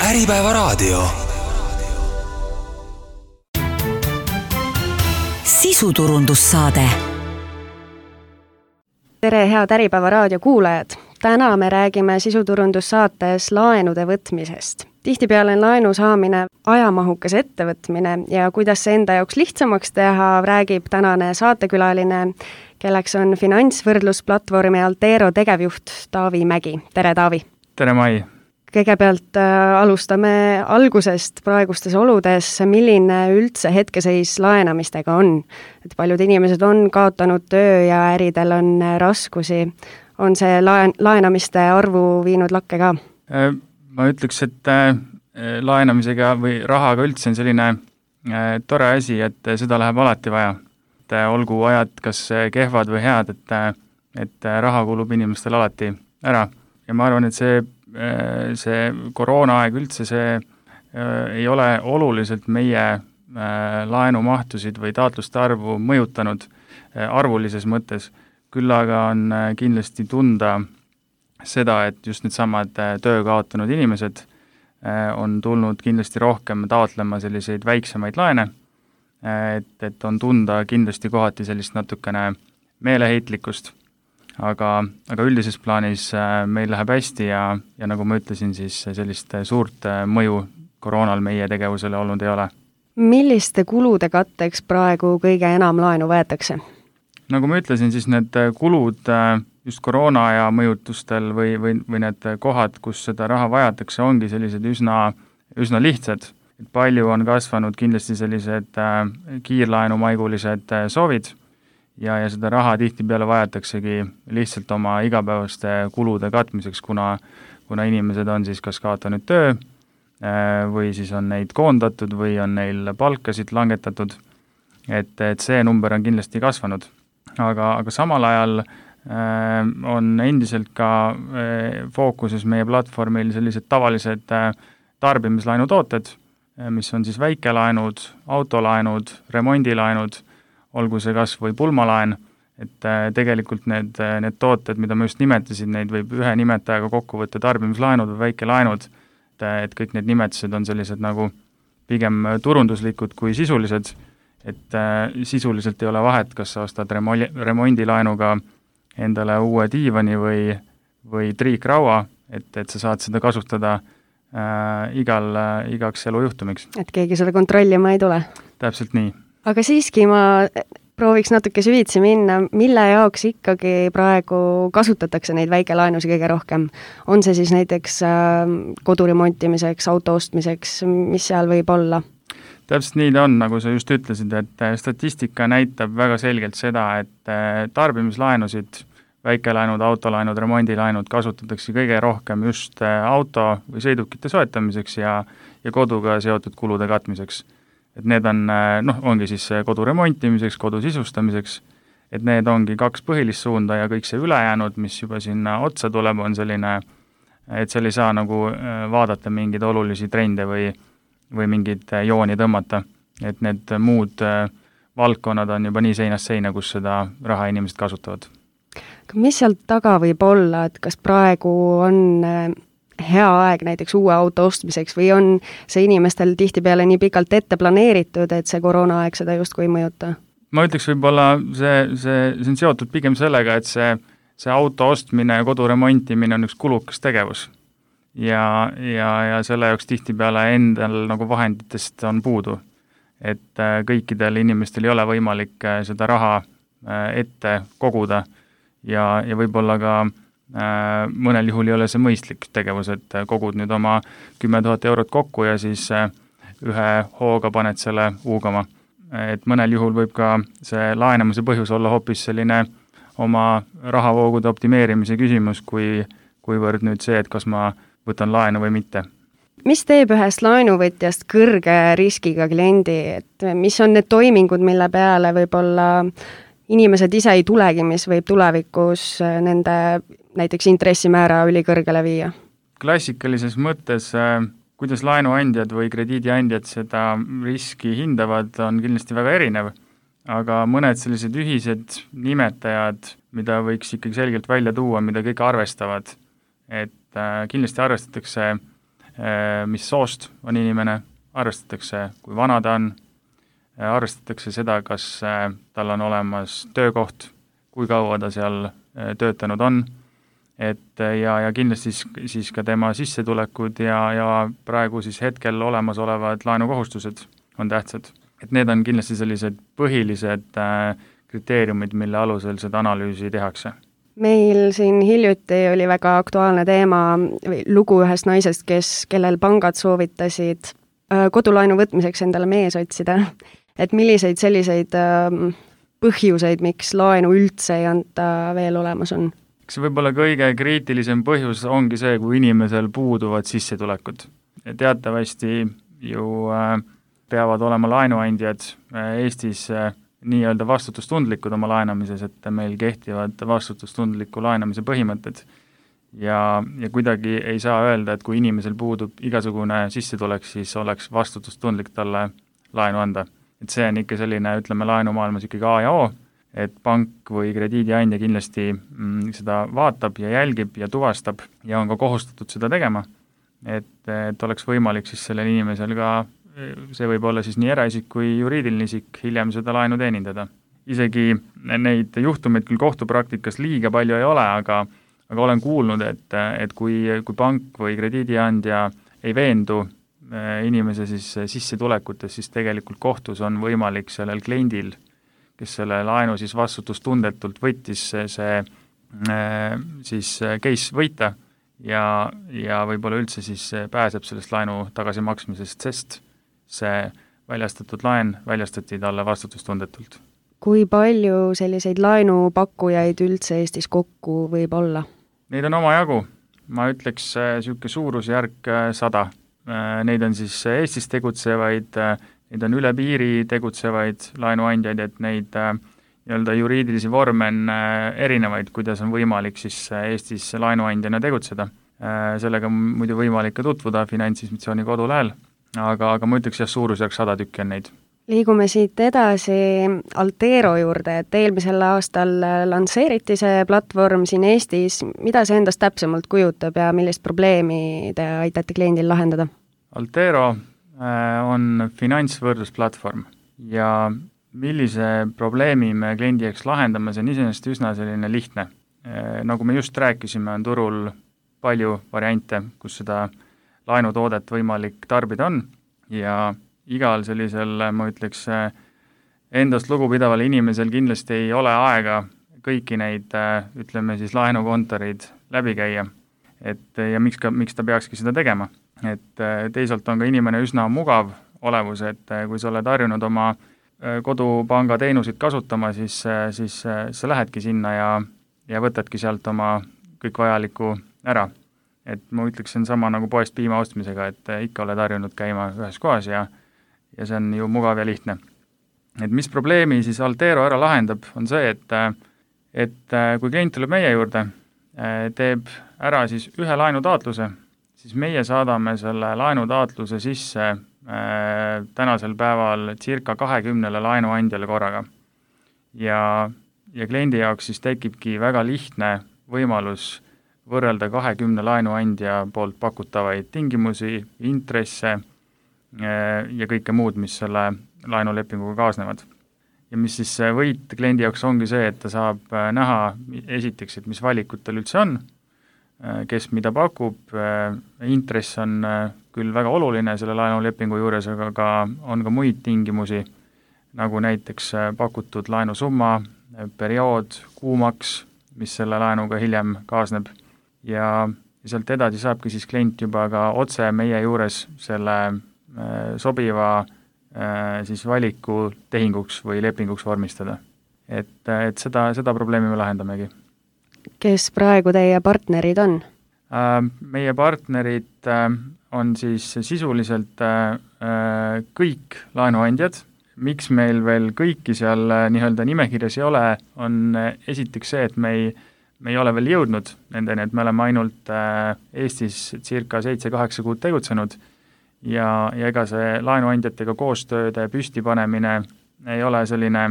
Äripäevaraadio. Sisuturundussaade. Tere, head Äripäevaraadio kuulajad! Täna me räägime sisuturundussaates laenude võtmisest. Tihtipeale on laenu saamine ajamahukas ettevõtmine ja kuidas see enda jaoks lihtsamaks teha, räägib tänane saatekülaline, kelleks on finantsvõrdlusplatvormi Altero tegevjuht Taavi Mägi. Tere, Taavi! Tere, Mai! Kõigepealt alustame algusest praegustes oludes, milline üldse hetkeseis laenamistega on. Et paljud inimesed on kaotanud töö ja äridel on raskusi. On see laenamiste arvu viinud lakke ka? Ma ütleks, et laenamisega või rahaga üldse on selline tore asi, et seda läheb alati vaja. Et olgu ajad kas kehvad või head, et raha kulub inimestel alati ära. Ja ma arvan, et see koroonaaeg üldse ei ole oluliselt meie laenumahtusid või taotluste arvu mõjutanud arvulises mõttes. Küll aga on kindlasti tunda seda, et just need samad töö kaotanud inimesed on tulnud kindlasti rohkem taotlema selliseid väiksemaid laene, et on tunda kindlasti kohati sellist natukene meeleheitlikkust. Aga üldises plaanis meil läheb hästi ja nagu ma ütlesin, siis sellist suurt mõju koroonal meie tegevusele olnud ei ole. Milliste kulude katteks praegu kõige enam laenu võetakse? Nagu ma ütlesin, siis need kulud just koroona ja mõjutustel või need kohad, kus seda raha vajatakse, ongi sellised üsna lihtsad. Et palju on kasvanud kindlasti sellised kiirlaenumaigulised soovid, ja seda raha tihtipeale vajataksegi lihtsalt oma igapäevaste kulude katmiseks, kuna inimesed on siis kas kaotanud töö või siis on neid koondatud või on neil palkasid langetatud, et see number on kindlasti kasvanud. Aga samal ajal on endiselt ka fookuses meie platvormil sellised tavalised tarbimislaenutooted, mis on siis väikelaenud, autolaenud, remondilaenud, olgu see kas või pulmalaen, et tegelikult need tooted, mida ma just nimetasin, neid võib ühe nimetajaga kokku võtta tarbimislaenud või väikelaenud, et kõik need nimetused on sellised nagu pigem turunduslikud kui sisulised, et sisuliselt ei ole vahet, kas sa ostad remondilaenuga endale uue diivani või triikraua, et sa saad seda kasutada igaks elujuhtumiks. Et keegi seda kontrollima ei tule? Täpselt nii. Aga siiski ma prooviks natuke süvitsi minna, mille jaoks ikkagi praegu kasutatakse neid väikelaenusi kõige rohkem. On see siis näiteks kodu remontimiseks, auto ostmiseks, mis seal võib olla? Täpselt nii ta on, nagu sa just ütlesid, et statistika näitab väga selgelt seda, et tarbimislaenusid, väikelaenud, autolaenud, remondilaenud kasutatakse kõige rohkem just auto või sõidukite soetamiseks ja koduga seotud kulude katmiseks. Et need ongi siis kodu remontimiseks, kodu sisustamiseks, et need ongi kaks põhilist suunda ja kõik see ülejäänud, mis juba sinna otsa tuleb, on selline, et seal ei saa nagu vaadata mingeid olulisi trende või mingeid jooni tõmmata, et need muud valdkonnad on juba nii seinast seina, kus seda raha inimesed kasutavad. Mis sealt taga võib olla, et kas praegu on hea aeg näiteks uue auto ostmiseks või on see inimestel tihtipeale nii pikalt ette planeeritud, et see koroonaaeg seda justkui ei mõjuta? Ma ütleks võib-olla see on seotud pigem sellega, et see auto ostmine ja kodu remontimine on üks kulukas tegevus ja selle jaoks tihtipeale endal nagu vahenditest on puudu, et kõikidel inimestel ei ole võimalik seda raha ette koguda ja võib-olla ka mõnel juhul ei ole see mõistlik tegevus, et kogud nüüd oma 10 000 eurot kokku ja siis ühe hooga paned selle huugama. Et mõnel juhul võib ka see laenamise põhjus olla hoopis selline oma rahavoogude optimeerimise küsimus, kuivõrd nüüd see, et kas ma võtan laenu või mitte. Mis teeb ühest laenuvõtjast kõrge riskiga kliendi, et mis on need toimingud, mille peale võib-olla inimesed ise ei tulegi, mis võib tulevikus nende näiteks intressimäära ülikõrgele viia? Klassikalises mõttes, kuidas laenuandjad või krediidiandjad seda riski hindavad, on kindlasti väga erinev, aga mõned sellised ühised nimetajad, mida võiks ikkagi selgelt välja tuua, mida kõik arvestavad, et kindlasti arvestatakse mis soost on inimene, arvestatakse, kui vana ta on, arvestatakse seda, kas tal on olemas töökoht, kui kaua ta seal töötanud on, et ja kindlasti siis ka tema sissetulekud ja praegu siis hetkel olemasolevad laenukohustused on tähtsad. Et need on kindlasti sellised põhilised kriteeriumid, mille alusel seda analüüsi tehakse. Meil siin hiljuti oli väga aktuaalne teema või lugu ühest naisest, kellel pangad soovitasid kodulaenu võtmiseks endale mees otsida. Et milliseid selliseid põhjuseid, miks laenu üldse ei anta veel olemas on? See võib-olla kõige kriitilisem põhjus ongi see, kui inimesel puuduvad sissetulekud. Teatavasti ju peavad olema laenuandjad Eestis nii-öelda vastutustundlikud oma laenamises, et meil kehtivad vastutustundliku laenamise põhimõtted. Ja kuidagi ei saa öelda, et kui inimesel puudub igasugune sissetulek, siis oleks vastutustundlik talle laenu anda. Et see on ikka selline, ütleme, laenumaailmas ikkagi A ja O, et pank või krediidiandja kindlasti seda vaatab ja jälgib ja tuvastab ja on ka kohustatud seda tegema, et oleks võimalik siis sellel inimesel ka, see võib olla siis nii eraisik kui juriidiline isik, hiljem seda laenu teenindada. Isegi neid juhtumeid küll kohtupraktikas liiga palju ei ole, aga olen kuulnud, et kui pank või krediidiandja ei veendu inimese siis sissetulekutes, siis tegelikult kohtus on võimalik sellel kliendil, kes selle laenu siis vastutustundetult võttis, see siis case võita ja võib-olla üldse siis pääseb sellest laenu tagasimaksmisest, sest see väljastatud laen väljastati talle vastutustundetult. Kui palju selliseid laenupakkujaid üldse Eestis kokku võib olla? Neid on omajagu. Ma ütleks niisugune suurusjärk 100. Neid on siis Eestis tegutsevaid, neid on üle piiri tegutsevaid laenuandjaid, et neid nii-öelda juriidilisi vorme on erinevaid, kuidas on võimalik siis Eestis laenuandjana tegutseda. Sellega on muidu võimalik ka tutvuda Finantsinspektsiooni kodulehel, aga ma ütleks suurusjärk 100 tükki on neid. Liigume siit edasi Altero juurde, et eelmisel aastal lansseeriti see platvorm siin Eestis. Mida see endast täpsemalt kujutab ja millist probleemi te aitate kliendil lahendada? Altero on finantsvõrdlusplatvorm ja millise probleemi me kliendi jaoks lahendame, see on iseenesest üsna selline lihtne. Nagu me just rääkisime, on turul palju variante, kus seda laenutoodet võimalik tarbida on ja igal sellisel, ma ütleks, endast lugupidaval inimesel kindlasti ei ole aega kõiki neid, ütleme siis laenukontorid läbi käia. Ja miks ta peakski seda tegema? Et teisalt on ka inimene üsna mugav olevus, et kui sa oled harjunud oma kodupanga teenuseid kasutama, siis sa lähedki sinna ja võtadki sealt oma kõik vajaliku ära. Et ma ütleks, see on sama nagu poest piima ostmisega, et ikka oled harjunud käima ühes kohas ja see on ju mugav ja lihtne. Et mis probleemi siis Altero ära lahendab, on see, et kui klient tuleb meie juurde, teeb ära siis ühe laenutaatluse, siis meie saadame selle laenutaatluse sisse tänasel päeval circa 20 laenuandjale korraga. Ja kliendi jaoks siis tekibki väga lihtne võimalus võrrelda 20 laenuandja poolt pakutavaid tingimusi, intresse ja kõike muud, mis selle laenulepinguga kaasnevad. Ja mis siis võit kliendi jaoks ongi see, et ta saab näha esiteks, et mis valikud tal üldse on, kes mida pakub, intress on küll väga oluline selle laenulepingu juures, aga on ka muid tingimusi, nagu näiteks pakutud laenusumma, periood, kuumaks, mis selle laenuga hiljem kaasneb. Ja sealt edasi saabki siis klient juba ka otse meie juures selle sobiva siis valiku tehinguks või lepinguks vormistada. Et seda probleemi me lahendamegi. Kes praegu teie partnerid on? Meie partnerid on siis sisuliselt kõik laenuandjad. Miks meil veel kõiki seal nii-öelda nimekirjas ei ole, on esiteks see, et me ei ole veel jõudnud nendeni, et me oleme ainult Eestis circa 7-8 kuud tegutsenud ja ega see laenuandjatega koostööde püstipanemine ei ole selline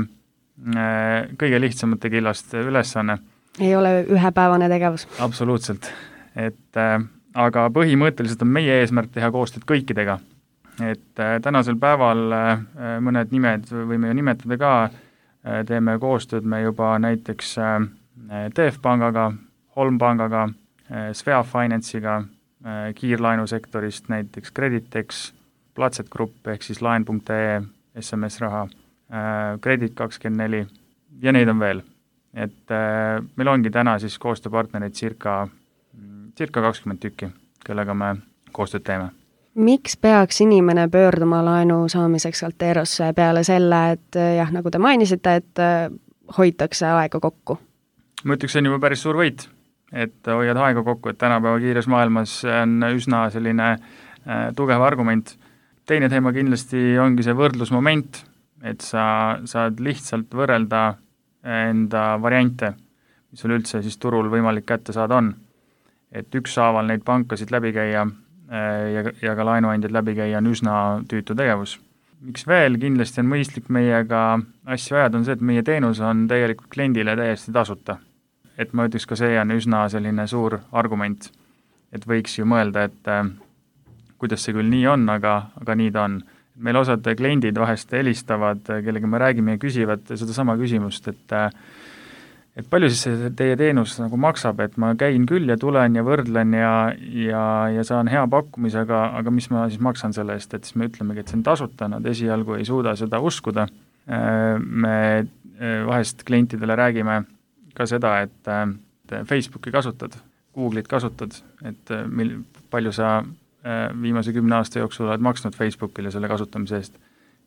kõige lihtsamate killast ülesanne. Ei ole ühepäevane tegevus? Absoluutselt. aga põhimõtteliselt on meie eesmärk teha koostööd kõikidega. Et tänasel päeval mõned nimed võime ju nimetada ka, teeme koostööd me juba näiteks TF Pangaga, Holm Pangaga, Svea Finance'iga, kiirlaenusektorist näiteks Creditex, Platset Grupp ehk siis laen.ee, SMS raha, Credit24 ja neid on veel. Et meil ongi täna siis koostööpartnereid circa 20 tükki, kellega me koostööd teeme. Miks peaks inimene pöörduma laenu saamiseks Alterosse peale selle, et jah, nagu te mainisite, et hoitakse aega kokku? Ma ütleks, see on juba päris suur võit, et hoiad aega kokku, et tänapäeva kiires maailmas on üsna selline tugev argument. Teine teema kindlasti ongi see võrdlusmoment, et sa saad lihtsalt võrrelda enda variante, mis sul üldse siis turul võimalik kätte saada on. Et ükshaaval neid pankasid läbi käia ja ka laenuandjad läbi käia on üsna tüütu tegevus. Miks veel kindlasti on mõistlik meiega asju ajada, on see, et meie teenus on tegelikult kliendile täiesti tasuta. Et ma ütleks ka see on üsna selline suur argument, et võiks ju mõelda, et kuidas see küll nii on, aga nii ta on. Meil osad kliendid vahest helistavad, kellega me räägime ja küsivad seda sama küsimust, et palju siis see teie teenus nagu maksab, et ma käin küll ja tulen ja võrdlen ja saan hea pakkumisega, aga mis ma siis maksan selle eest, et siis me ütlemegi, et see on tasuta, nad esialgu ei suuda seda uskuda. Me vahest klientidele räägime ka seda, et Facebooki kasutad, Google'it kasutad, et palju sa viimase 10 aasta jooksul oled maksnud Facebookile selle kasutamise eest.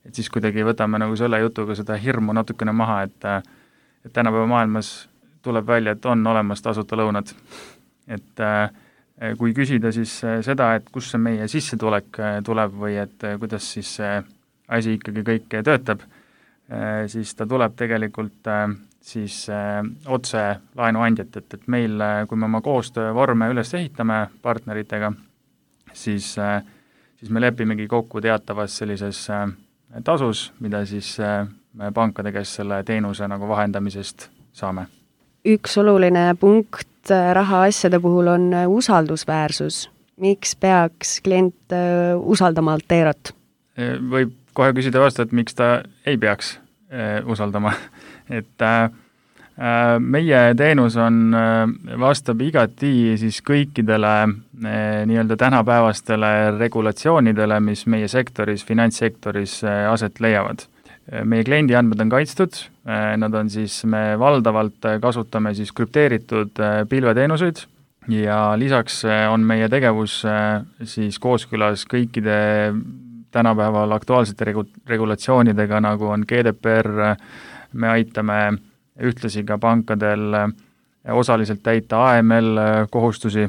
Et siis kuidagi võtame nagu selle jutuga seda hirmu natukene maha, et tänapäeva maailmas tuleb välja, et on olemas tasuta lõunad. Et kui küsida siis seda, et kus see meie sissetulek tuleb või et kuidas siis see asi ikkagi kõik töötab, siis ta tuleb tegelikult siis otse laenuandjat, et meil, kui me oma koostöövorme üles ehitame partneritega, siis me lepimegi kokku teatavas sellises tasus, mida siis me pankade käest selle teenuse nagu vahendamisest saame. Üks oluline punkt rahaasjade puhul on usaldusväärsus. Miks peaks klient usaldama Alterot? Võib kohe küsida vastu, et miks ta ei peaks usaldama. Et meie teenus vastab igati siis kõikidele nii-öelda tänapäevastele regulatsioonidele, mis meie sektoris, finantssektoris aset leiavad. Meie kliendi andmed on kaitstud, nad on siis, me valdavalt kasutame siis krüpteeritud pilveteenuseid ja lisaks on meie tegevus siis kooskõlas kõikide tänapäeval aktuaalsete regulatsioonidega, nagu on GDPR, me aitame ühtlasi ka pankadel osaliselt täita AML kohustusi,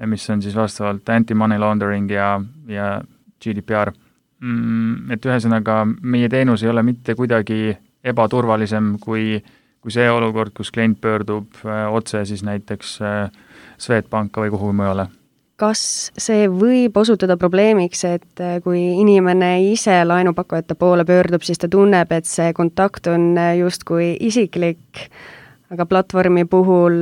mis on siis vastavalt anti-money laundering ja GDPR. Et ühesõnaga, meie teenus ei ole mitte kuidagi ebaturvalisem kui see olukord, kus klient pöördub otse siis näiteks Swedbanka või kuhu mujale. Kas see võib osutuda probleemiks, et kui inimene ise laenupakkujate poole pöördub, siis ta tunneb, et see kontakt on justkui isiklik, aga platvormi puhul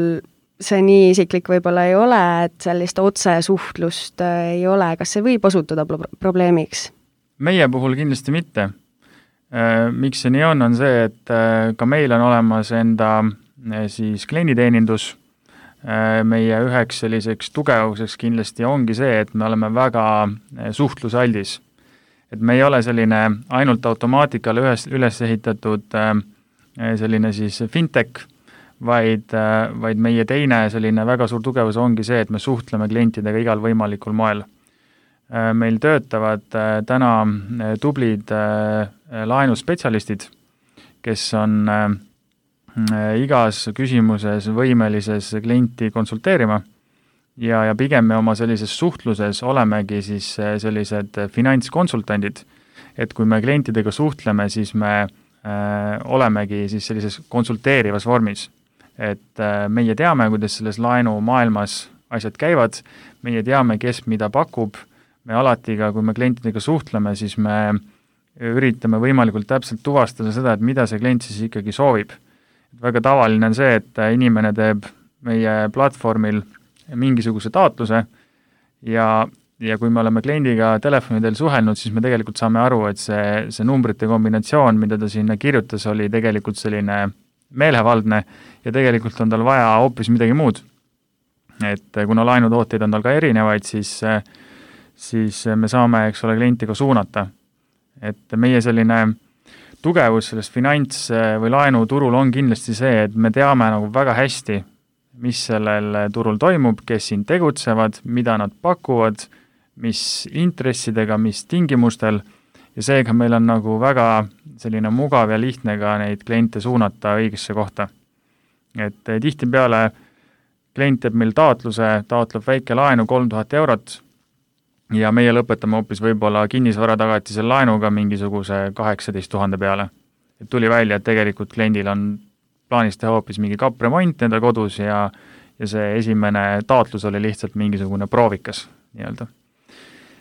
see nii isiklik võib-olla ei ole, et sellist otsesuhtlust ei ole. Kas see võib osutuda probleemiks? Meie puhul kindlasti mitte. Miks see nii on see, et ka meil on olemas enda siis klienditeenindus. Meie üheks selliseks tugevuseks kindlasti ongi see, et me oleme väga suhtlusaldis. Et me ei ole selline ainult automaatikale üles ehitatud selline siis fintech, vaid meie teine selline väga suur tugevus ongi see, et me suhtleme klientidega igal võimalikul moel. Meil töötavad täna tublid laenuspetsialistid, kes on igas küsimuses võimelises klienti konsulteerima ja pigem me oma sellises suhtluses olemegi siis sellised finantskonsultandid, et kui me klientidega suhtleme, siis me olemegi siis sellises konsulteerivas vormis, et meie teame, kuidas selles laenu maailmas asjad käivad, meie teame, kes mida pakub, me alati ka, kui me klientidega suhtleme, siis me üritame võimalikult täpselt tuvastada seda, et mida see klient siis ikkagi soovib. Väga tavaline on see, et inimene teeb meie platvormil mingisuguse taotluse ja kui me oleme kliendiga telefonidel suhelnud, siis me tegelikult saame aru, et see numbrite kombinatsioon, mida ta sinna kirjutas, oli tegelikult selline meelevaldne ja tegelikult on tal vaja hoopis midagi muud. Et kuna laenutooteid on tal ka erinevaid, siis me saame, eks ole, klienti ka suunata. Et meie selline tugevus selles finants- või laenuturul on kindlasti see, et me teame nagu väga hästi, mis sellel turul toimub, kes siin tegutsevad, mida nad pakuvad, mis intressidega, mis tingimustel ja seega meil on nagu väga selline mugav ja lihtne ka neid kliente suunata õigesse kohta. Et tihtipeale klient teeb meil taotleb väike laenu 3000 eurot ja meie lõpetame hoopis võib-olla kinnisvaratagatisel laenuga mingisuguse 18 000 peale. Et tuli välja, et tegelikult kliendil on plaanis teha hoopis mingi kapremont enda kodus ja see esimene taotlus oli lihtsalt mingisugune proovikas nii-öelda.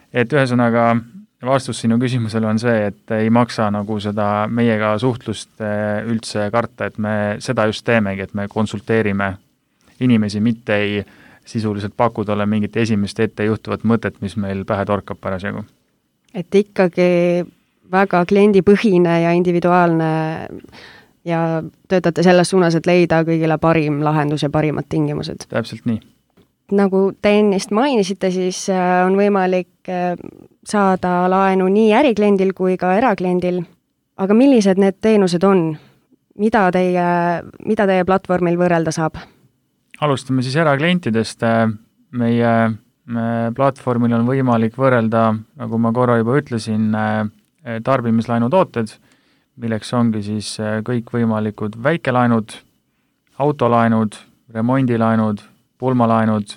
Et ühesõnaga vastus sinu küsimusele on see, et ei maksa nagu seda meiega suhtlust üldse karta, et me seda just teemegi, et me konsulteerime inimesi, mitte ei sisuliselt paku talle mingit esimest ette juhtuvat mõtet, mis meil pähe torkab parasjagu. Et ikkagi väga kliendipõhine ja individuaalne ja töötate selles suunas, et leida kõigile parim lahendus ja parimad tingimused. Täpselt nii. Nagu te ennist mainisite, siis on võimalik saada laenu nii ärikliendil kui ka erakliendil. Aga millised need teenused on? Mida teie platvormil võrrelda saab? Alustame siis eraklientidest. Meie platvormil on võimalik võrrelda, nagu ma korra juba ütlesin, tarbimislaenutooted, milleks ongi siis kõik võimalikud väikelaenud, autolaenud, remondilaenud, pulmalaenud,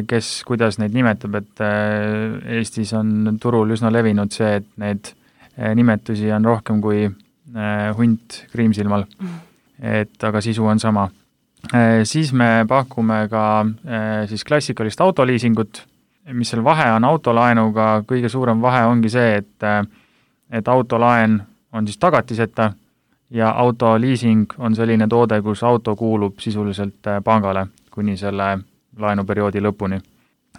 kes kuidas neid nimetab, et Eestis on turul üsna levinud see, et need nimetusi on rohkem kui hunt kriimsilmal, et aga sisu on sama. Siis me pakume ka siis klassikalist autoliisingut, mis seal vahe on autolaenuga, kõige suurem vahe ongi see, et autolaen on siis tagatiseta ja autoliising on selline toode, kus auto kuulub sisuliselt pangale kuni selle laenuperioodi lõpuni.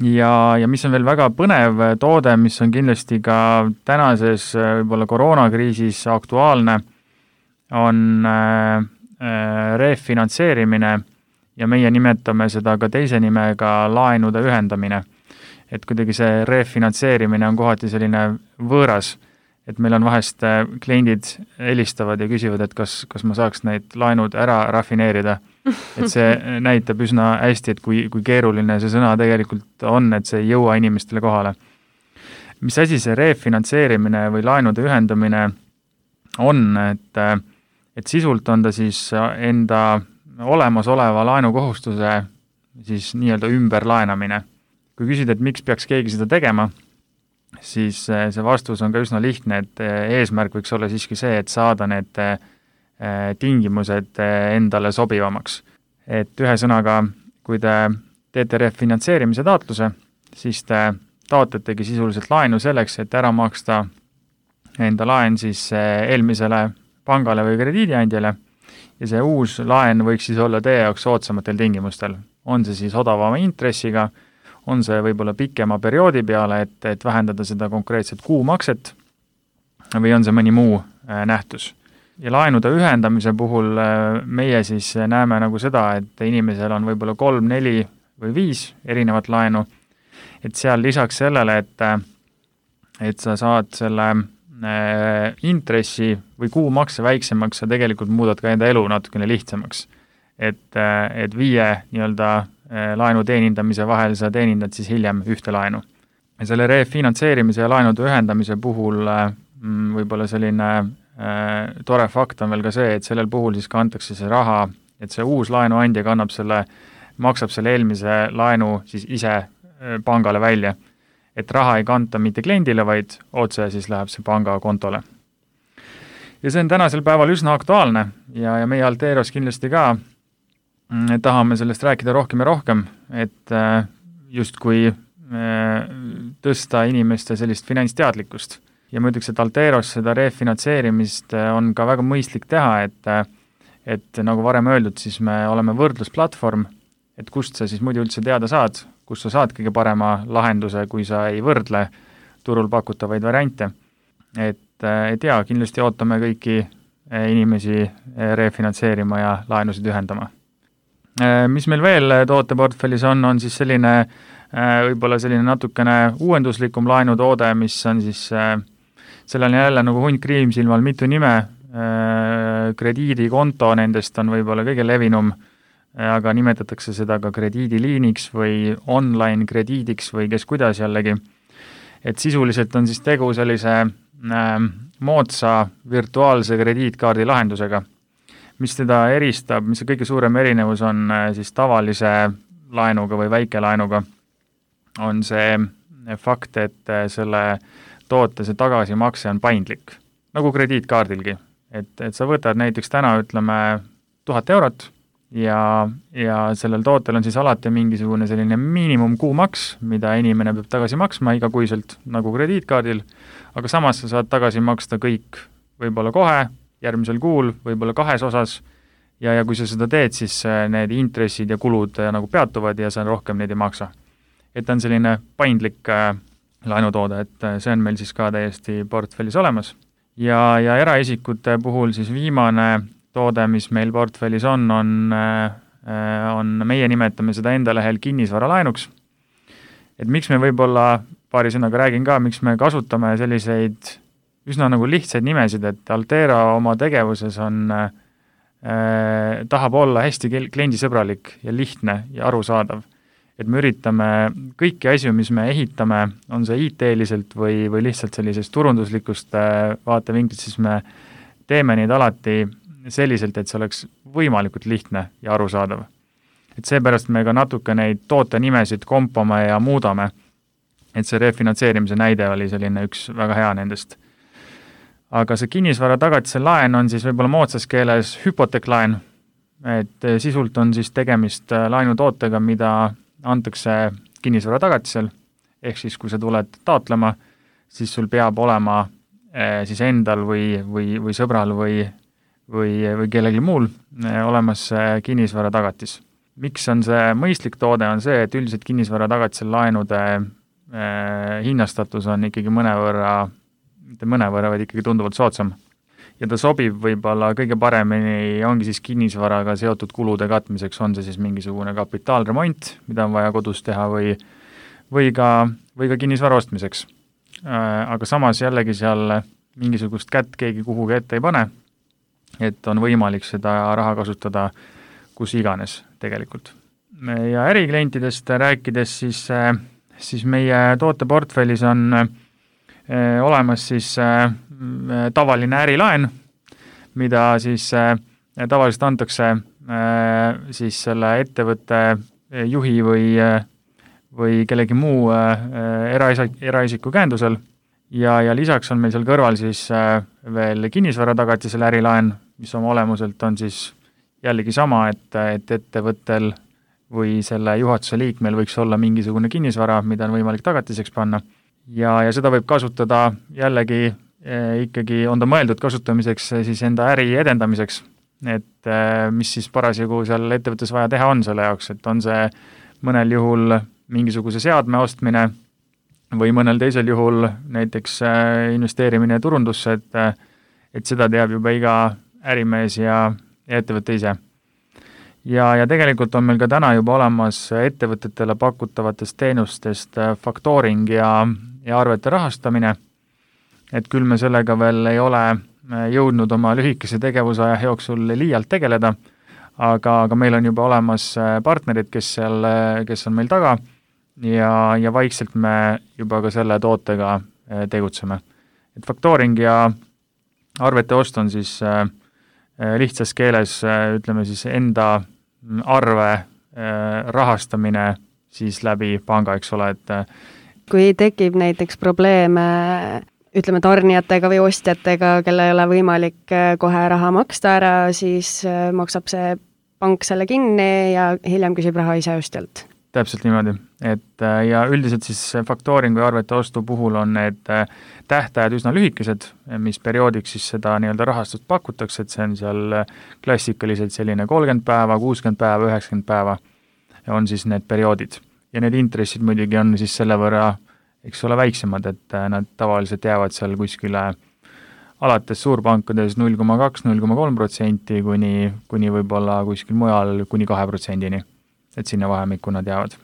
Ja mis on veel väga põnev toode, mis on kindlasti ka tänases võib-olla koroonakriisis aktuaalne, on refinantseerimine ja meie nimetame seda ka teise nimega laenude ühendamine. Et kuidagi see refinantseerimine on kohati selline võõras, et meil on vahest kliendid helistavad ja küsivad, et kas ma saaks neid laenud ära rafineerida. Et see näitab üsna hästi, et kui keeruline see sõna tegelikult on, et see ei jõua inimestele kohale. Mis asi see refinantseerimine või laenude ühendamine on, et sisult on ta siis enda olemasoleva laenukohustuse siis nii-öelda ümberlaenamine. Kui küsida, et miks peaks keegi seda tegema, siis see vastus on ka üsna lihtne, et eesmärk võiks olla siiski see, et saada need tingimused endale sobivamaks. Et ühesõnaga, kui te teete refinantseerimise taotluse, siis te taotletegi sisuliselt laenu selleks, et ära maksta enda laen siis eelmisele pangale või krediidiandjale ja see uus laen võiks siis olla teie jaoks soodsamatel tingimustel. On see siis odavama intressiga, on see võib-olla pikema perioodi peale, et vähendada seda konkreetset kuumakset või on see mõni muu nähtus. Ja laenude ühendamise puhul meie siis näeme nagu seda, et inimesel on võib-olla 3, 4 või 5 erinevat laenu, et seal lisaks sellele, et sa saad selle intressi või kuumakse väiksemaks, sa tegelikult muudad ka enda elu natukene lihtsamaks. Et 5 nii-öelda laenu teenindamise vahel sa teenindad siis hiljem ühte laenu. Ja selle refinantseerimise ja laenude ühendamise puhul võib-olla selline tore fakt on veel ka see, et sellel puhul siis kantakse see raha, et see uus laenuandja maksab selle eelmise laenu siis ise pangale välja. Et raha ei kanta mitte kliendile, vaid otse siis läheb see panga kontole. Ja see on tänasel päeval üsna aktuaalne ja meie Alteros kindlasti ka tahame sellest rääkida rohkem ja rohkem, et justkui tõsta inimeste sellist finantsteadlikkust. Ja ma ütleks, et Alteros seda refinantseerimist on ka väga mõistlik teha, et nagu varem öeldud, siis me oleme võrdlusplatvorm, et kust sa siis muidu üldse teada saad, kus sa saad kõige parema lahenduse, kui sa ei võrdle turul pakutavaid variante. Et jaa, kindlasti ootame kõiki inimesi refinantseerima ja laenusid ühendama. Mis meil veel tooteportfellis on siis selline võib-olla selline natukene uuenduslikum laenutoode, mis on siis, sellel on jälle nagu hunt kriimsilmal mitu nime, krediidikonto nendest on võib-olla kõige levinum, aga nimetatakse seda ka krediidiliiniks või online krediidiks või kes kuidas jällegi. Et sisuliselt on siis tegu sellise moodsa virtuaalse krediitkaardi lahendusega, mis teda eristab, mis see kõige suurem erinevus on siis tavalise laenuga või väikelaenuga, on see fakt, et selle toote see tagasimakse on paindlik, nagu krediitkaardilgi. Et sa võtad näiteks täna, ütleme, 1000 eurot ja sellel tootel on siis alati mingisugune selline miinimumkuumaks, mida inimene peab tagasi maksma igakuiselt nagu krediitkaardil, aga samas sa saad tagasi maksta kõik võib-olla kohe, järgmisel kuul, võib-olla 2 osas ja kui sa seda teed, siis need intressid ja kulud nagu peatuvad ja sa rohkem neid ei maksa. Et on selline paindlik laenutoode, et see on meil siis ka täiesti portfellis olemas. Ja eraisikute puhul siis viimane toode, mis meil portfellis on meie nimetame seda enda lehel kinnisvaralaenuks. Et miks me võib-olla paari sõnaga räägin ka, miks me kasutame selliseid üsna nagu lihtsaid nimesid, et Altera oma tegevuses tahab olla hästi kliendisõbralik ja lihtne ja arusaadav. Et me üritame kõiki asju, mis me ehitame, on see IT-liselt või lihtsalt sellisest turunduslikust vaatevinklist, siis me teeme neid alati selliselt, et see oleks võimalikult lihtne ja arusaadav. Et seepärast me ka natuke neid tootenimesid kompame ja muudame, et see refinantseerimise näide oli selline üks väga hea nendest. Aga see kinnisvara tagatise laen on siis võib-olla moodsas keeles hüpoteeklaen, et sisult on siis tegemist laenutootega, mida antakse kinnisvara tagatisel, ehk siis kui sa tuled taotlema, siis sul peab olema siis endal või sõbral või kellelgi muul olemas kinnisvara tagatis. Miks on see mõistlik toode, on see, et üldiselt kinnisvara tagatisel laenude hinnastatus on ikkagi mitte mõnevõrra, vaid ikkagi tunduvalt soodsam. Ja ta sobib võib-olla kõige paremini ongi siis kinnisvaraga seotud kulude katmiseks, on see siis mingisugune kapitaalremont, mida on vaja kodus teha või ka kinnisvara ostmiseks. Aga samas jällegi seal mingisugust kätt keegi kuhugi ette ei pane, et on võimalik seda raha kasutada kus iganes tegelikult. Ja äriklientidest rääkides, siis meie tooteportfellis on olemas siis tavaline ärilaen, mida siis tavaliselt antakse siis selle ettevõtte juhi või kellegi muu eraisiku käendusel ja lisaks on meil seal kõrval siis veel kinnisvara tagatisel ärilaen, mis oma olemuselt on siis jällegi sama, et ettevõttel või selle juhatuse liikmel võiks olla mingisugune kinnisvara, mida on võimalik tagatiseks panna. Ja seda võib kasutada jällegi ikkagi on ta mõeldud kasutamiseks siis enda äri edendamiseks, et mis siis parasjagu seal ettevõttes vaja teha on selle jaoks, et on see mõnel juhul mingisuguse seadme ostmine või mõnel teisel juhul näiteks investeerimine turundusse, et seda teab juba iga ärimees ja ettevõtte ise. Ja tegelikult on meil ka täna juba olemas ettevõtetele pakutavatest teenustest factoring ja arvete rahastamine, et küll me sellega veel ei ole jõudnud oma lühikese tegevusaja jooksul liialt tegeleda, aga meil on juba olemas partnerid, kes on meil taga ja vaikselt me juba ka selle tootega tegutseme. Et factoring ja arvete ost on siis lihtsas keeles, ütleme siis enda arve rahastamine siis läbi panga, eks ole, et kui tekib näiteks probleeme, ütleme tarnijatega või ostjatega, kelle ei ole võimalik kohe raha maksta ära, siis maksab see pank selle kinni ja hiljem küsib raha ise ostjalt. Täpselt niimoodi, et ja üldiselt siis factoring või arvete ostu puhul on need tähtajad üsna lühikesed, mis perioodiks siis seda nii-öelda rahastust pakutakse, et see on seal klassikaliselt selline 30 päeva, 60 päeva, 90 päeva on siis need perioodid. ja need intressid muidugi on siis selle võrra, eks ole, väiksemad, et nad tavaliselt jäävad seal kuskile alates suurpankades 0,2–0,3% kuni võib-olla kuskil mujal kuni 2%-ni, et sinna vahemikku nad jäävad.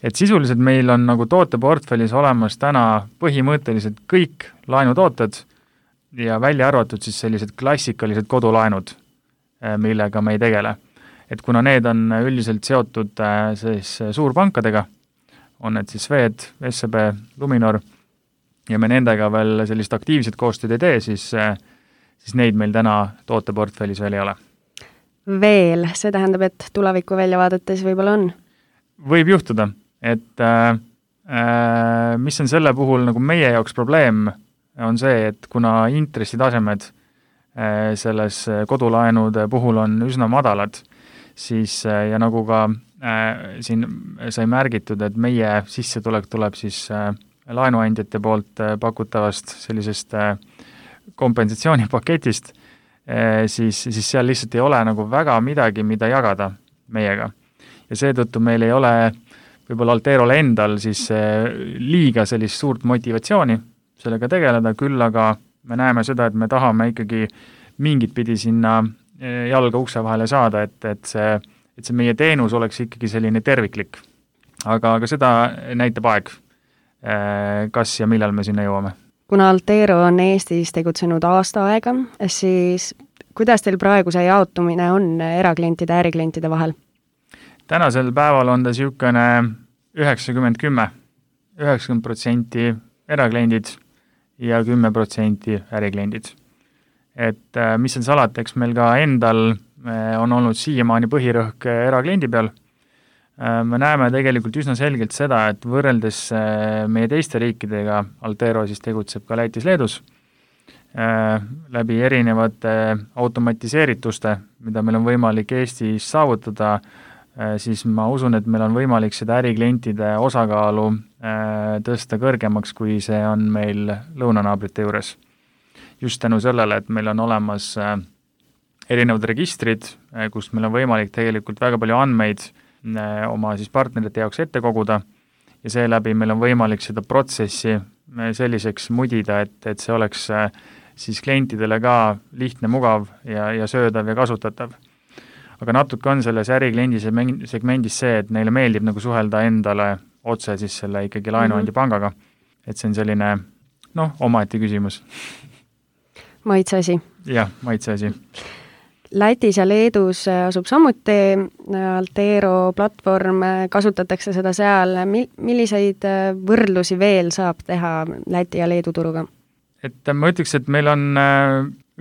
Et sisuliselt meil on nagu tooteportfellis olemas täna põhimõtteliselt kõik laenutooted ja välja arvatud siis sellised klassikalised kodulaenud, millega me ei tegele. Et kuna need on üldiselt seotud siis suurpankadega, on need siis Swed, SEB, Luminor, ja me nendega veel sellist aktiivset koostööd ei tee, siis neid meil täna tooteportfellis veel ei ole. Veel, see tähendab, et tulevikku välja vaadates võib-olla on? Võib juhtuda, et mis on selle puhul nagu meie jaoks probleem, on see, et kuna intressitasemed selles kodulaenude puhul on üsna madalad, siis ja nagu ka siin sai märgitud, et meie sissetulek tuleb siis laenuandjate poolt pakutavast sellisest kompensatsioonipaketist, siis seal lihtsalt ei ole nagu väga midagi, mida jagada meiega. Ja seetõttu meil ei ole võib-olla Alterole endal siis liiga sellist suurt motivatsiooni sellega tegeleda, küll aga me näeme seda, et me tahame ikkagi mingit pidi sinna jalga ukse vahele saada, et see meie teenus oleks ikkagi selline terviklik. Aga seda näitab aeg, kas ja millal me sinna jõuame. Kuna Altero on Eestis tegutsenud aasta aega, siis kuidas teil praegu see jaotumine on eraklientide ja äriklientide vahel? Tänasel päeval on ta siukene 90-10, 90% erakliendid ja 10% ärikliendid. Et mis on salata, eks meil ka endal on olnud siiamaani põhirõhk erakliendi peal. Me näeme tegelikult üsna selgelt seda, et võrreldes meie teiste riikidega, Altero siis tegutseb ka Lätis, Leedus, läbi erinevate automatiseerituste, mida meil on võimalik Eestis saavutada, siis ma usun, et meil on võimalik seda äriklientide osakaalu tõsta kõrgemaks, kui see on meil lõunanaabrite juures. Just tänu sellele, et meil on olemas erinevad registrid, kus meil on võimalik tegelikult väga palju andmeid oma siis partnerite jaoks ette koguda ja seeläbi meil on võimalik seda protsessi selliseks mudida, et see oleks siis klientidele ka lihtne, mugav ja söödav ja kasutatav. Aga natuke on selles ärikliendi segmendis see, et neile meeldib nagu suhelda endale otse siis selle ikkagi laenuandja pangaga. Et see on selline, omaette küsimus. Maitseasi. Jah, maitseasi. Lätis ja Leedus asub samuti Altero platvorm, kasutatakse seda seal. Milliseid võrdlusi veel saab teha Läti ja Leedu turuga? Et ma ütleks, et meil on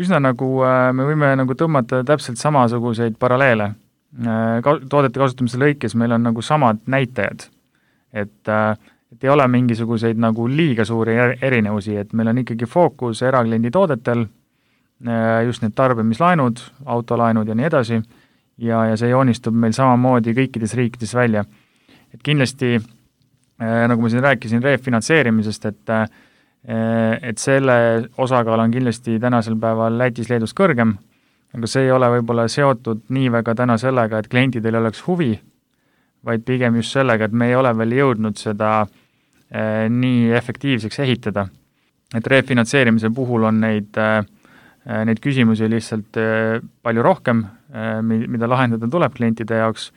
üsna nagu, me võime nagu tõmmata täpselt samasuguseid paralleele. Toodete kasutamise lõikes meil on nagu samad näitajad. Et ei ole mingisuguseid nagu liiga suuri erinevusi, et meil on ikkagi fookus erakliendi toodetel, just need tarbimislaenud, autolaenud ja nii edasi, ja see joonistub meil samamoodi kõikides riikides välja. Et kindlasti, nagu ma siin rääkisin refinantseerimisest, et selle osakaal on kindlasti tänasel päeval Lätis, Leedus kõrgem, aga see ei ole võib-olla seotud nii väga täna sellega, et klientidel oleks huvi, vaid pigem just sellega, et me ei ole veel jõudnud seda nii efektiivseks ehitada. Et refinantseerimise puhul on neid küsimusi lihtsalt palju rohkem, mida lahendada tuleb klientide jaoks,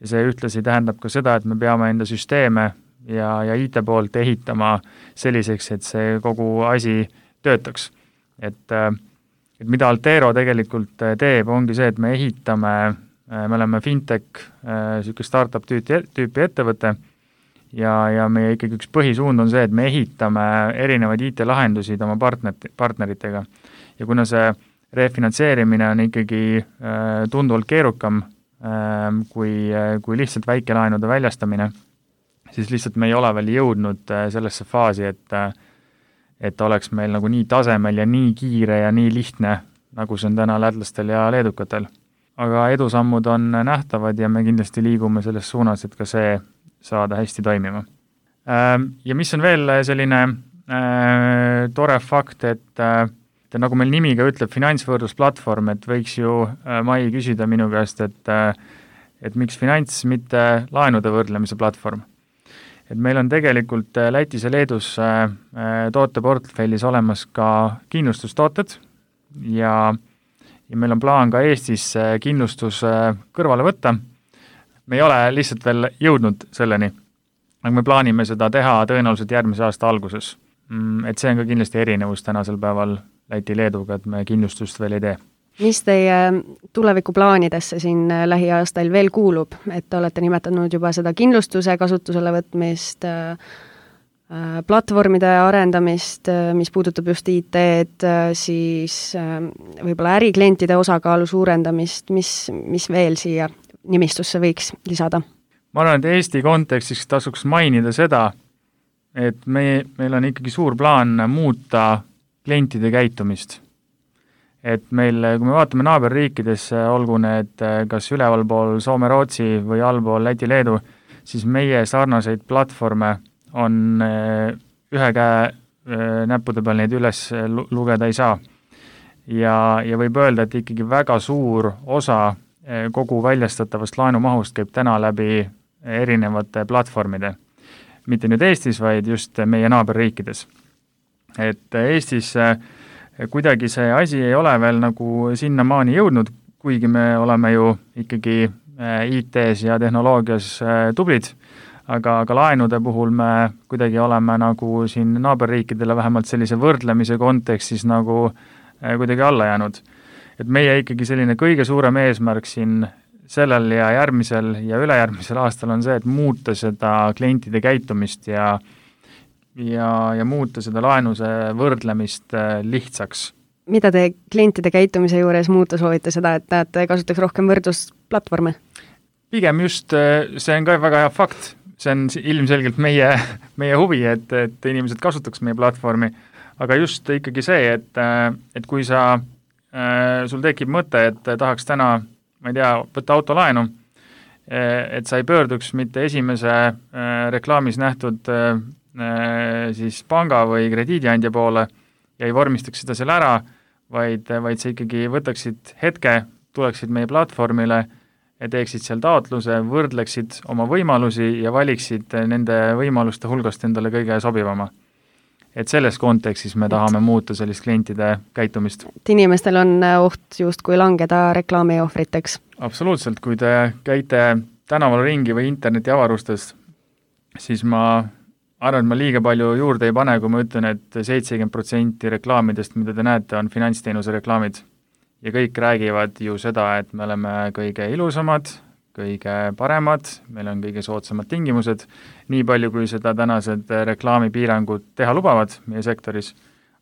ja see ühtlasi tähendab ka seda, et me peame enda süsteeme ja IT poolt ehitama selliseks, et see kogu asi töötaks. Et mida Altero tegelikult teeb, ongi see, et me ehitame, me oleme fintech, selline startup tüüpi ettevõte, ja meie ikkagi üks põhisuund on see, et me ehitame erinevaid IT-lahendusid oma partneritega. Ja kuna see refinantseerimine on ikkagi tunduvalt keerukam kui lihtsalt väikelaenude väljastamine, siis lihtsalt me ei ole veel jõudnud sellesse faasi, et oleks meil nagu nii tasemel ja nii kiire ja nii lihtne, nagu see on täna lätlastel ja leedukatel. Aga edusammud on nähtavad ja me kindlasti liigume selles suunas, et ka see saada hästi toimima. Ja mis on veel selline tore fakt, et nagu meil nimi ka ütleb, finantsvõrdlusplatvorm, et võiks ju Mai küsida minu käest, et miks finants, mitte laenude võrdlemise platvorm. et meil on tegelikult Lätis ja Leedus tooteportfellis olemas ka kindlustustooted ja meil on plaan ka Eestis kindlustus kõrvale võtta. Me ei ole lihtsalt veel jõudnud selleni, aga me plaanime seda teha tõenäoliselt järgmise aasta alguses. Et see on ka kindlasti erinevus tänasel päeval Läti-Leeduga, et me kindlustust veel ei tee. Mis teie tulevikuplaanidesse siin lähiaastail veel kuulub, et te olete nimetanud juba seda kindlustuse kasutusele võtmist, platvormide arendamist, mis puudutab just IT-d, siis võib-olla äriklientide osakaalu suurendamist, mis veel siia nimistusse võiks lisada? Ma arvan, et Eesti kontekstis tasuks mainida seda, et meil on ikkagi suur plaan muuta klientide käitumist. Et meil, kui me vaatame naaberriikidesse, olgu need kas ülevalpool Soome-Rootsi või allpool Läti-Leedu, siis meie sarnaseid platvorme on ühe käe näppude peal neid üles lugeda ei saa. Ja võib öelda, et ikkagi väga suur osa kogu väljastatavast laenumahust käib täna läbi erinevate platvormide. Mitte nüüd Eestis, vaid just meie naaberriikides. Et Eestis kuidagi see asi ei ole veel nagu sinnamaani jõudnud, kuigi me oleme ju ikkagi IT-s ja tehnoloogias tublid, aga laenude puhul me kuidagi oleme nagu siin naaberriikidele vähemalt sellise võrdlemise kontekstis nagu kuidagi alla jäänud. Et meie ikkagi selline kõige suurem eesmärk siin sellel ja järgmisel ja ülejärgmisel aastal on see, et muuta seda klientide käitumist ja muuta seda laenuse võrdlemist lihtsaks. Mida te klientide käitumise juures muuta soovite seda, et te kasutaks rohkem võrdlusplatvorme? Pigem just, see on ka väga hea fakt. See on ilmselgelt meie huvi, et inimesed kasutaks meie platvormi, aga just ikkagi see, et kui sul tekib mõte, et tahaks täna, ma ei tea, võtta autolaenu, et sa ei pöörduks mitte esimese reklaamis nähtud siis panga või krediidiandja poole ja ei vormistaks seda seal ära, vaid sa ikkagi võtaksid hetke, tuleksid meie platvormile ja teeksid seal taotluse, võrdleksid oma võimalusi ja valiksid nende võimaluste hulgast endale kõige sobivama. Et selles kontekstis me tahame muuta sellist klientide käitumist. Et inimestel on oht just kui langeda reklaami ohvriteks. Absoluutselt, kui te käite tänaval ringi või interneti avarustes, siis ma arvan, et ma liiga palju juurde ei pane, kui ma ütlen, et 70% reklaamidest, mida te näete, on finantsteenuse reklaamid. Ja kõik räägivad ju seda, et me oleme kõige ilusamad, kõige paremad, meil on kõige soodsamad tingimused, nii palju kui seda tänased reklaamipiirangud teha lubavad meie sektoris.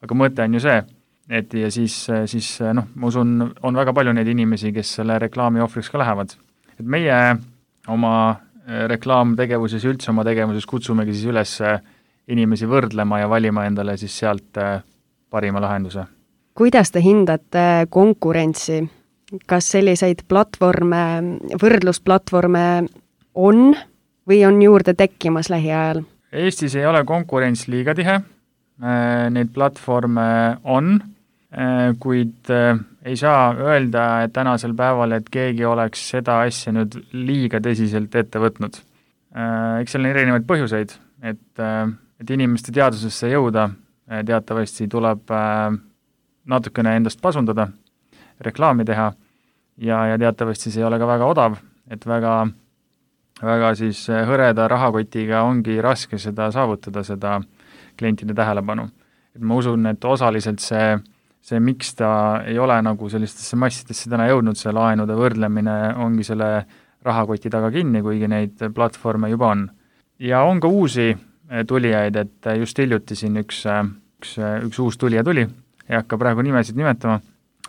Aga mõte on ju see, et ja siis ma usun, on väga palju neid inimesi, kes selle reklaami ohvriks ka lähevad. Et meie oma reklaamtegevuses ja üldse oma tegevuses kutsumegi siis üles inimesi võrdlema ja valima endale siis sealt parima lahenduse. Kuidas te hindate konkurentsi? Kas selliseid platvorme, võrdlusplatvorme on või on juurde tekkimas lähiajal? Eestis ei ole konkurents liiga tihe, neid platvorme on, kuid ei saa öelda, et tänasel päeval, et keegi oleks seda asja nüüd liiga tõsiselt ette võtnud. Eks seal on erinevaid põhjuseid, et inimeste teadvusesse jõuda teatavasti tuleb natukene endast pasundada, reklaami teha ja teatavasti see ei ole ka väga odav, et väga siis hõreda rahakotiga ongi raske seda saavutada, seda klientide tähelepanu. Et ma usun, et osaliselt see miks ta ei ole nagu sellistesse massidesse täna jõudnud, see laenude võrdlemine ongi selle rahakoti taga kinni, kuigi neid platvorme juba on. Ja on ka uusi tulijaid, et just hiljuti siin üks uus tulija tuli, ei hakka praegu nimesid nimetama,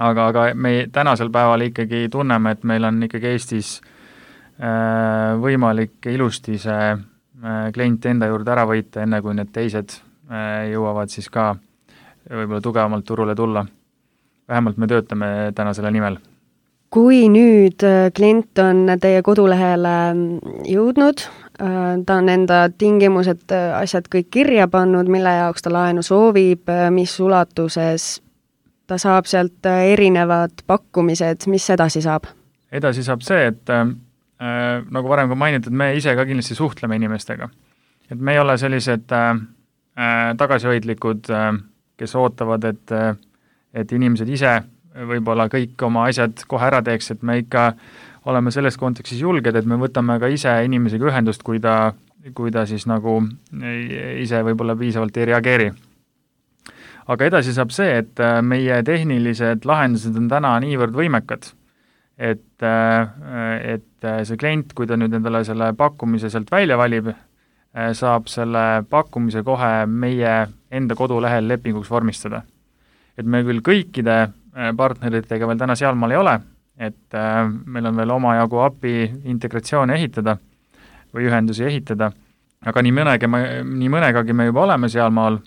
aga me tänasel päeval ikkagi tunneme, et meil on ikkagi Eestis võimalik ilusti see klient enda juurde ära võita, enne kui need teised jõuavad siis ka võib-olla tugevamalt turule tulla. Vähemalt me töötame täna selle nimel. Kui nüüd klient on teie kodulehele jõudnud, ta on enda tingimused, asjad kõik kirja pannud, mille jaoks ta laenu soovib, mis ulatuses ta saab sealt erinevad pakkumised, mis edasi saab? Edasi saab see, et nagu varem ka mainitud, me ise ka kindlasti suhtleme inimestega. et me ei ole sellised tagasihoidlikud, kes ootavad, et inimesed ise võib-olla kõik oma asjad kohe ära teeks, et me ikka oleme selles kontekstis julged, et me võtame ka ise inimesega ühendust, kui ta siis nagu ise võib-olla piisavalt ei reageeri. Aga edasi saab see, et meie tehnilised lahendused on täna niivõrd võimekad, et see klient, kui ta nüüd endale selle pakkumise sealt välja valib, saab selle pakkumise kohe meie enda kodulehel lepinguks vormistada. Et me küll kõikide partneritega veel täna sealmaal ei ole, et meil on veel omajagu API integratsioone ehitada või ühendusi ehitada, aga nii mõnegagi me juba oleme sealmaal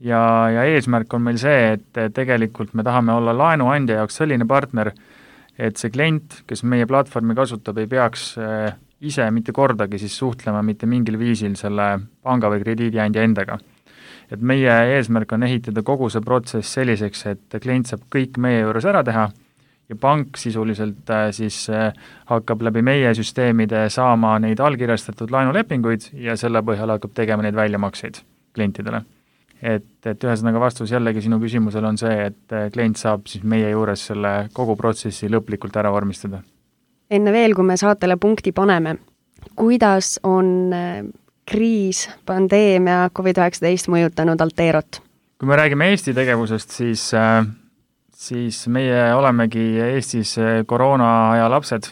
ja eesmärk on meil see, et tegelikult me tahame olla laenuandja jaoks selline partner, et see klient, kes meie platvormi kasutab, ei peaks ise mitte kordagi siis suhtlema mitte mingil viisil selle panga või krediidiandja endaga. Et meie eesmärk on ehitada kogu see protsess selliseks, et klient saab kõik meie juures ära teha ja pank sisuliselt siis hakkab läbi meie süsteemide saama neid allkirjastatud laenulepinguid ja selle põhjal hakkab tegema neid väljamakseid klientidele. Et ühesõnaga vastus jällegi sinu küsimusel on see, et klient saab siis meie juures selle kogu protsessi lõplikult ära vormistada. Enne veel, kui me saatele punkti paneme, kuidas on kriis, pandeemia, COVID-19 mõjutanud Alterot? Kui me räägime Eesti tegevusest, siis meie olemegi Eestis koroona aja lapsed,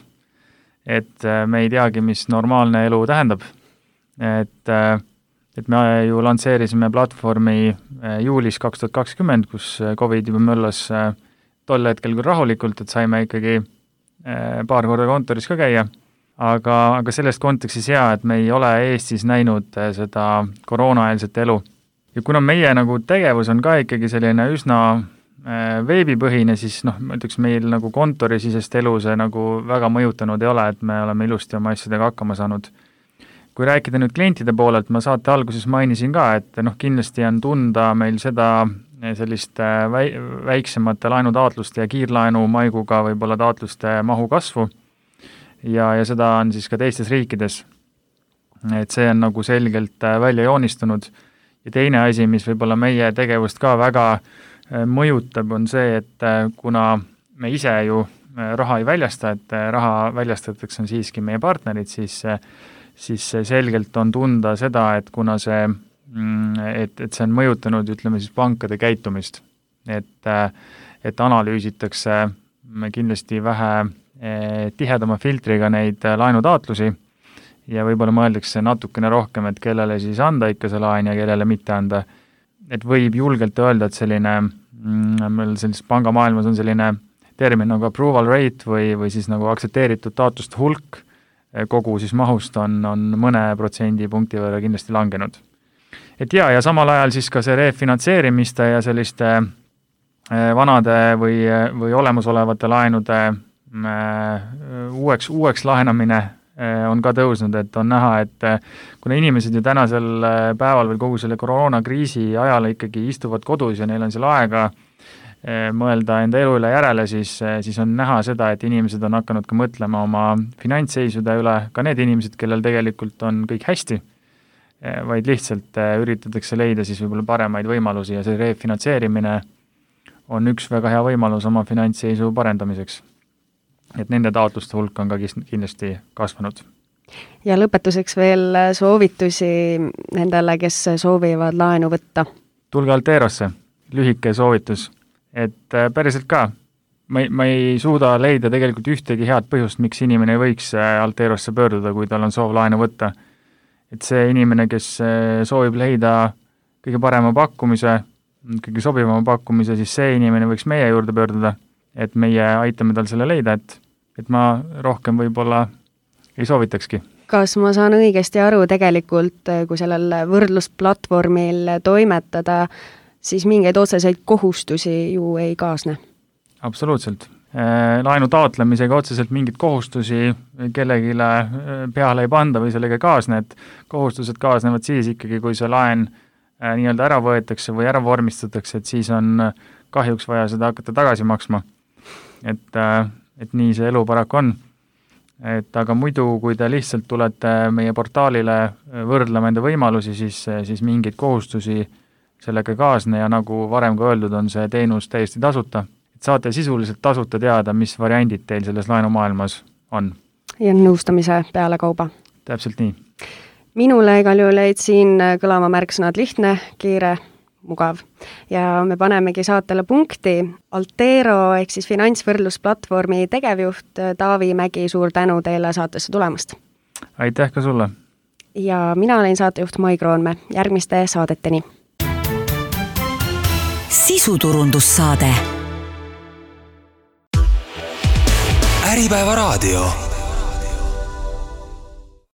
et me ei teagi, mis normaalne elu tähendab. Et me ju lansseerisime platvormi juulis 2020, kus COVID juba möllas tol hetkel küll rahulikult, et saime ikkagi paar korda kontoris ka käia, aga sellest kontekstis et me ei ole Eestis näinud seda koroonaeelset elu. Ja kuna meie nagu tegevus on ka ikkagi selline üsna veebipõhine, siis ma ütleks, meil nagu kontorisisest elu see nagu väga mõjutanud ei ole, et me oleme ilusti oma asjadega hakkama saanud. Kui rääkida nüüd klientide poolelt, ma saate alguses mainisin ka, et kindlasti on tunda meil seda sellist väiksemate laenutaotluste ja kiirlaenu maiguga võib-olla taotluste mahu kasvu ja seda on siis ka teistes riikides. Et see on nagu selgelt välja joonistunud. Ja teine asi, mis võib-olla meie tegevust ka väga mõjutab, on see, et kuna me ise ju raha ei väljasta, et raha väljastatakse on siiski meie partnerid, siis selgelt on tunda seda, et kuna see see on mõjutanud, ütleme siis pankade käitumist, et analüüsitakse kindlasti vähe tihedama filtriga neid laenutaotlusi ja võib-olla mõeldakse natukene rohkem, et kellele siis anda ikka see laen ja kellele mitte anda. Et võib julgelt öelda, et meil sellises pangamaailmas on selline termin nagu approval rate või siis nagu aktsepteeritud taotluste hulk kogu siis mahust on mõne protsendipunkti võrra kindlasti langenud. Et ja samal ajal siis ka see refinantseerimiste ja selliste vanade või olemasolevate laenude uueks laenamine on ka tõusnud, et on näha, et kuna inimesed ju tänasel päeval või kogu selle koroonakriisi ajal ikkagi istuvad kodus ja neil on seal aega mõelda enda elu üle järele, siis on näha seda, et inimesed on hakanud ka mõtlema oma finantsseisude üle, ka need inimesed, kellel tegelikult on kõik hästi, vaid lihtsalt üritatakse leida siis võib-olla paremaid võimalusi ja see refinantseerimine on üks väga hea võimalus oma finantsseisu parendamiseks. Et nende taotluste hulk on ka kindlasti kasvanud. Ja lõpetuseks veel soovitusi nendele, kes soovivad laenu võtta. Tulge Alterosse, lühike soovitus, et päriselt ka. Ma ei suuda leida tegelikult ühtegi head põhjust, miks inimene ei võiks Alterosse pöörduda, kui tal on soov laenu võtta. Et see inimene, kes soovib leida kõige parema pakkumise, kõige sobivama pakkumise, siis see inimene võiks meie juurde pöörduda, et meie aitame tal selle leida, et ma rohkem võib-olla ei soovitakski. Kas ma saan õigesti aru tegelikult, kui sellel võrdlusplatvormil toimetada, siis mingeid otseseid kohustusi ju ei kaasne? Absoluutselt. Laenu taotlemisega otseselt mingid kohustusi kellegile peale ei panda või sellega kaasne, et kohustused kaasnevad siis ikkagi, kui see laen nii-öelda ära võetakse või ära vormistatakse, et siis on kahjuks vaja seda hakata tagasi maksma. Et nii see elu paraku on. et aga muidu, kui te lihtsalt tulete meie portaalile võrdlema enda võimalusi, siis mingeid kohustusi sellega ei kaasne ja nagu varem ka öeldud, on see teenus täiesti tasuta. Et saate sisuliselt tasuta teada, mis variandid teil selles laenumaailmas on. Ja nõustamise peale kauba. Täpselt nii. Minule igal juhul jäid siin kõlama märksõnad lihtne, kiire, mugav. Ja me panemegi saatele punkti. Altero ehk siis finantsvõrdlusplatvormi tegevjuht Taavi Mägi, suur tänu teile saatesse tulemast. Aitäh ka sulle. Ja mina olen saatejuht Mai Kroonme. Järgmiste saadeteni. Sisuturundussaade. Äripäeva raadio.